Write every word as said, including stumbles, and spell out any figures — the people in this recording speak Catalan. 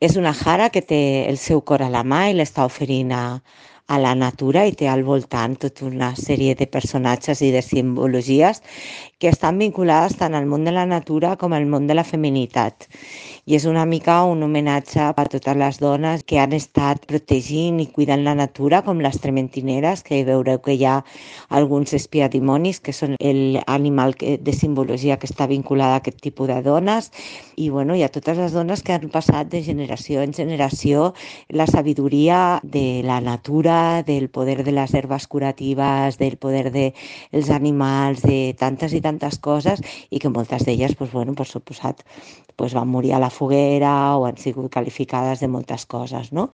És una jara que té el seu cor a la mà i l'està oferint a, a la natura i té al voltant tota una sèrie de personatges i de simbologies que estan vinculades tant al món de la natura com al món de la feminitat. I és una mica un homenatge a totes les dones que han estat protegint i cuidant la natura, com les trementineres, que veureu que hi ha alguns espiadimonis, que són l'animal de simbologia que està vinculada a aquest tipus de dones, i bueno, hi ha totes les dones que han passat de generació en generació la sabidoria de la natura, del poder de les herbes curatives, del poder dels animals, de tantes i tantes coses, i que moltes d'elles, pues, bueno, per suposat, pues, van morir a la foguera o han sigut qualificades de moltes coses, no?